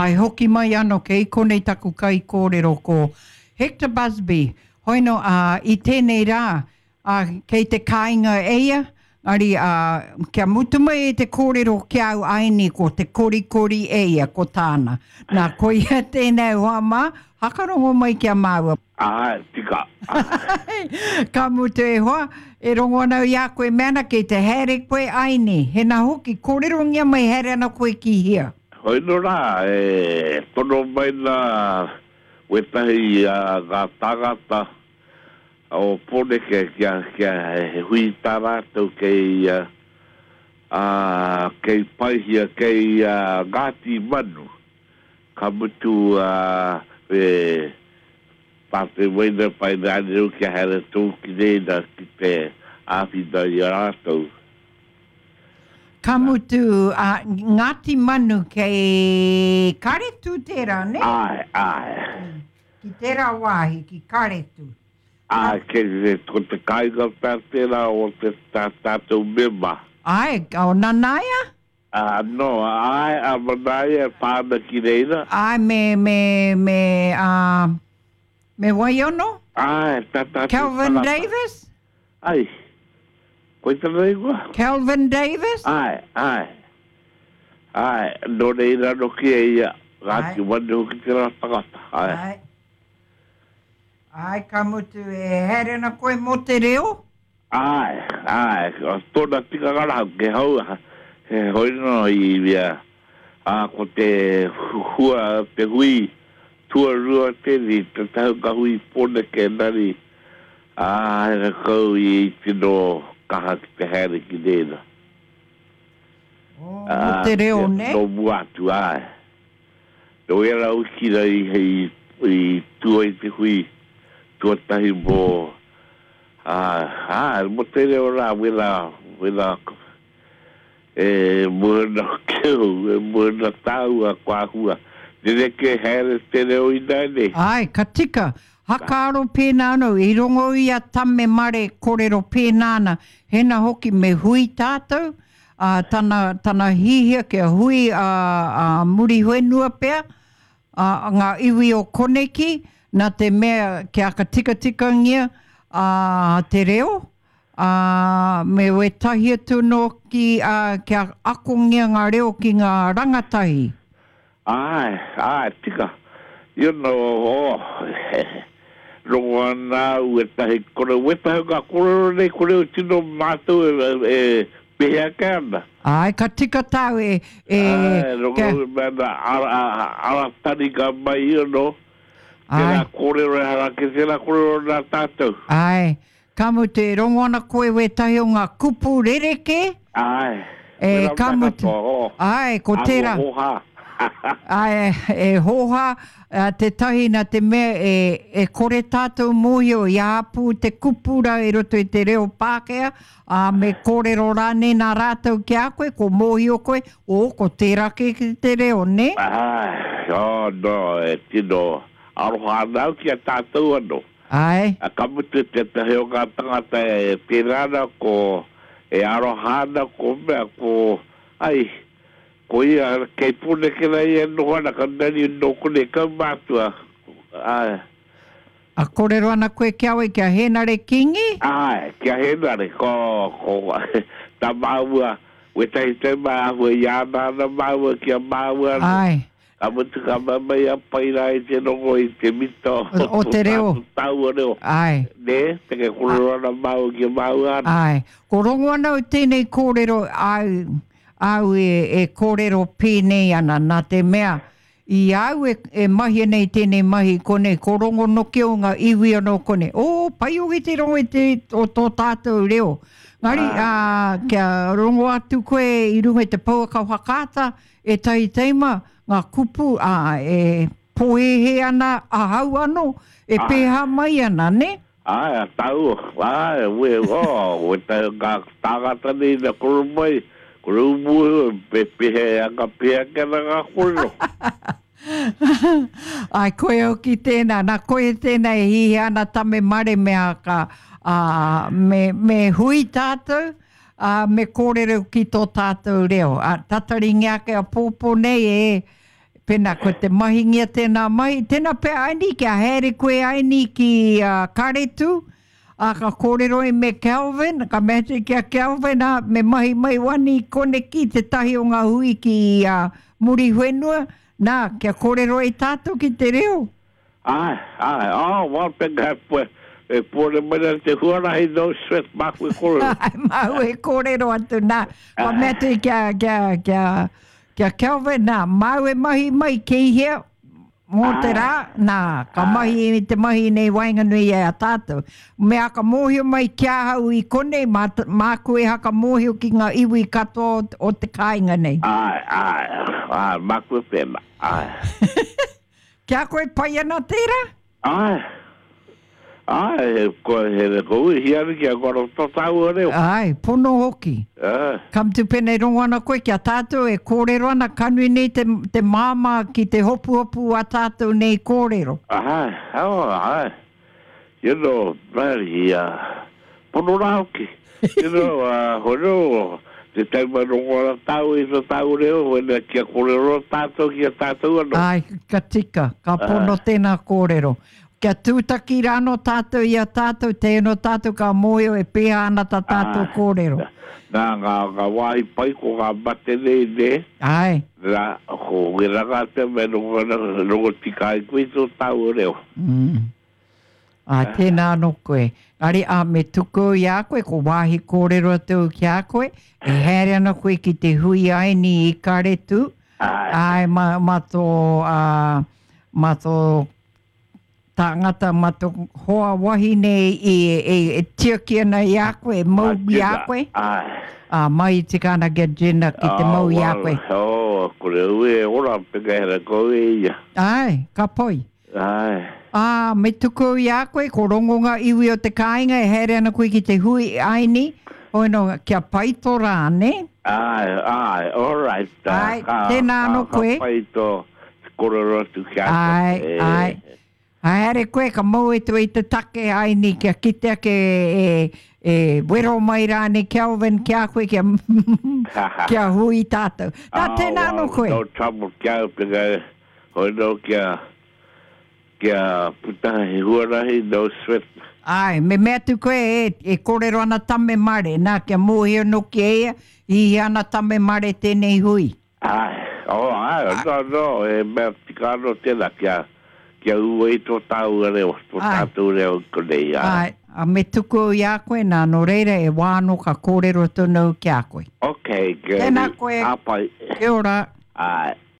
Āe, hoki mai ano kei konei taku kaikōrero ko Hector Busby. Hoino, ā, i tēnei rā, ā, kei te kāinga e ia, engari, ā, kia mutu mai e te kōrero ki a au āianei ko te korikori e ia, ko tāna. Nā, koia tēnei hoa mā, hakarongo mai ki a māua. Āe, tika. Āe. Ka mutu e hoa, e rongo ana au i a koe mea ana kei te haere koe āianei. Hena hoki, kōrerongia mai haere ana koe ki hea? Hoino rā, e tono mai nā wētahi a ngā tāngata o Pōneke kia, kia he hui tā rātou kei, ā, kei Paihia, kei Ngāti Manu. Ka mutu, ā, e tātou waina pai rānei kia haere tō ki reira ki te āwhina i a rātou. Ka mutu, ā, Ngāti Manu kei Karetu tērā, nē? Āe, āe. Ki tērā wāhi, ki Karetu. Āe, kei, ko te kāinga pea tērā o te, tā tātou mema. Āe, o Nanaia? Ā, nō, āe, a Manaia e pā ana ki reira. Āe, me, me, me, ā, me wai anō? Āe, tā tātou Kelvin tangata. Davis? Ai. Koe tana ingoa? Kelvin Davis? Āe, āe. Āe, nō reira anō ki a ia, Ngāti Wanu hoki tērā tangata, āe. Āe. Āe, ka mutu, e haere ana koe mō te reo? Āe, āe, tōna tikanga rā, he hou, he hoi nō i ia, ā, ko te hua, te hui tuarua tēnei, te taunga hui Pōneke engari, Ā, he rakau ia i tino kaha ki te haere ki reira. Oh, mō te reo, nē? Nō mua atu, āe. Nō ērā wiki rā i, i tū ai te hui tuatahi mō, ā, āe, mō te reo rā, wērā, wērā E moe ana hoki au, e moe ana tāua, kua āhua rerekē haere te reo ināianei. Āe, ka tika. Hakaaro pēnā anō, i rongo i a Tame Mare korero pēnā ana, hena hoki me hui tātou, ā, tana, tana hihia kia hui ā, ā Muriwhenua pea, ā, ngā iwi o koneki, nā te mea kia aka tikatikangia, ā, te reo, ā, me wētahi atu anō ki, ā, kia akongia ngā reo ki ngā rangatahi. Āe, āe, tika. You know, oh, rongo ana au wētahi kore, wētahi o ngā kōrero nei kore o tino mātou e, e pehe ake ana. Āe, ka tika tāu e, e, Āe, rongo kia. au e mea ana, ara, ara taringa mai, you know, tērā kōrero ehara ake tērā kōrero nā tātou. Āe, Ka mutu, e rongo ana koe wētahi o ngā kupu rerekē? Āe, E, wera ka mea mutu, katoa, oh, āe, ko āhua tērā. hōhā. Āe, e hōhā, tētahi nā te mea e, e kore tātou mōhio i āpū te kupu rā i roto i te reo Pākehā, ā, me kōrero rānei nā rātou ki a koe, ko mōhio koe, ō, ko tērā kē ki te reo, nē? Āe, oh, no, e tino aroha ana au ki a tātou anō. Āe. A ka mutu tētahi o ngā tangata e pērā ana ko, e aroha ana ko mea ko, ai, ko ia kei Pōneke rā ia e noho ana, ka nani nō konei kaumātua, āe. A kōrero ana koe ki a wai, ki a Hēnare Kīngi? Āe, ki a Hēnare, ko, ko tā māua, wētahi taima āhua i ana ana māua ki a māua anō. Āe. Ka mutu ka mau mai a Paira i te rongo i te mita o, o te reo. Tāua reo. Āe. Nē, te ke kōrero ana māua ki a māua ana. Āe. Ko rongo ana au tēnei kōrero āu, āu e, e kōrero pēnei ana, nā te mea, i a au e, e mahia nei tēnei mahi i konei, ko rongo noki au ngā iwi anō konei, ō, pai hoki te rongo i te, o tō tātou reo. Engari, ā, kia rongo atu koe i runga i te pouaka whakaata, Ētahi taima, ngā kupu, ā, e pōhēhē ana ahau anō, e pēhā mai ana, nē? Āe, a tāua, āe, we, oh, wētahi o ngā tāngata nei ina koro mai, kore u mōhio, e pēhea, e anga pēhea ake ana ngā kōrero. Āe, koia hoki tēnā, nā, koia tēnā e hihia ana Tame Mare me a ka, ā, me, me hui tātou, Ā, me kōrero ki tō tātou reo. Ā, tataringia ake a pōpō nei e, Pēnā ko te mahingia tēnā mahi, tēnā pea Aini, kia haere koe Aini ki uh, Karetu, ā, ka kōrero ai me Kelvin, ka mea atu ki a Kelvin, ā, me mahi mai wani koneki tētahi o ngā hui ki uh, Muriwhenua, nā, kia kōrero ai tātou ki te reo. Āe, āe, oh, well, pēnā e pue, e pōre mai ana te huarahi, no sweat, māku e kōrero. Āe, māu e kōrero atu, nā, ka mea atu kia, kia, kia, kia Kelvin, nā, māu e mahi mai kei hea, mō te rā, nā, ka mahi i te mahi nei waenganui i a tātou. Me aka mōhio mai ki ahau i konei, mā, māku e haka mōhio ki ngā iwi katoa o, o te kāinga nei. Āe, āe, āe, māku e pēnā, āe. Ki a koe pai ana tērā? Āe. Āe, he, ko, he, ko uihi ana ki a koro tō tāua reo. Āe, pono hoki. Āe. Ka mutu pēnei rongo ana koe ki a tātou e kōrero ana, ka nui nei te, te māmā ki te hopuhopu a tātou nei kōrero. Āe, oh, āe. You know, bloody, uh, pono rā hoki. You know, uh, hono, te taima rongo ana tāu i tō tāu reo, wena kia kōrero tātou ki a tātou anō. Ai, ka tika, ka pono tēnā kōrero. Kia tūtaki rānō tātou i a tātou, tēnō tātou ka mōhio e pēhea ana tā tātou kōrero. Nā, ngā, ngā wāhi pai ko ngā mate nei, nē? Āe. Nā, ko wera ngā te mea rongo ana, rongo tika ai koe i tō tāua reo. Mm. Ā, tēnā anō koe. Engari, ā, me tuku i a koe, ko wāhi kōrero atu ki a koe, e haere ana koe ki te hui aini i Karetū, āe, mā, mā tō, ā, mā tō tāngata, mā tō hoa wahine i, e, e tiaki ana i a koe, e mau i a koe. Āe. Ā, mai i tika ana ki a Jenna ki te mau i a koe. Oh, kore au e ora, peka hera kau e ia. Āe, ka pai. Āe. Ā, me tuku au i a koe, ko rongo ngā iwi o te kāinga e haere ana koe ki te hui aini, hoi nō, kia pai tō rā, nē? Āe, āe, all right. Āe, tēnā anō koe. Ka pai tō kōrero atu ki a koe. Āe, āe. Haere koe, ka mau atu i te take aini kia kite ake e, e wero mai rānei Kelvin ki a koe kia, kia hui tātou. Nā, tēnā anō koe. No trouble ki au, peka Hoi nō kia, kia puta he huarahi, no sweat. Āe, me mea atu koe e, e kōrero ana Tame Mare, nā, kia mōhio noki e ia, i hia ana Tame Mare tēnei hui. Āe, oh, āe, no, no, he mea tika anō tēnā, kia, kia ū ai tō tāua reo, tō tātou reo i konei, āe. Āe, ā, me tuku au i a koe, nā, nō reira, e wā anō ka kōrero tonu au ki a koe. Okay, Tēnā koe. Ka pai. Kia ora. Āe.